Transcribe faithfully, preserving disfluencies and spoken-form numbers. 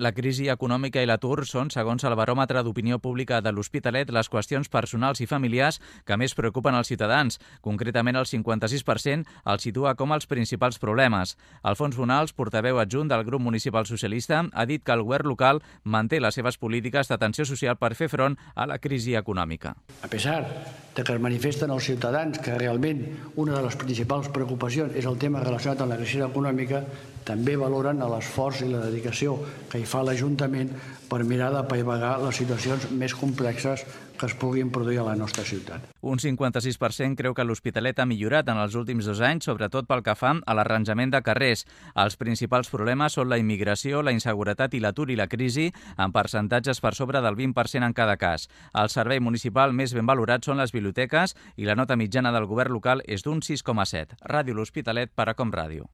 La crisi econòmica i l'atur són, segons el baròmetre d'opinió pública de l'Hospitalet, les qüestions personals i familiars que més preocupen els ciutadans. Concretament, el cinquanta-sis per cent els situa com els principals problemes. Alfons Bonals, portaveu adjunt del grup municipal socialista, ha dit que el govern local manté les seves polítiques d'atenció social per fer front a la crisi econòmica. A pesar de que es manifesten els ciutadans que realment una de les principals preocupacions és el tema relacionat amb la crisi econòmica, també valoren l'esforç i la dedicació que hi fa l'Ajuntament per mirar d'apaivagar les situacions més complexes que es puguin produir a la nostra ciutat. Un cinquanta-sis per cent creu que l'Hospitalet ha millorat en els últims dos anys, sobretot pel que fa a l'arranjament de carrers. Els principals problemes són la immigració, la inseguretat i l'atur i la crisi, amb percentatges per sobre del vint per cent en cada cas. El servei municipal més ben valorat són les biblioteques i la nota mitjana del govern local és d'un sis coma set. Ràdio L'Hospitalet per a Com Ràdio.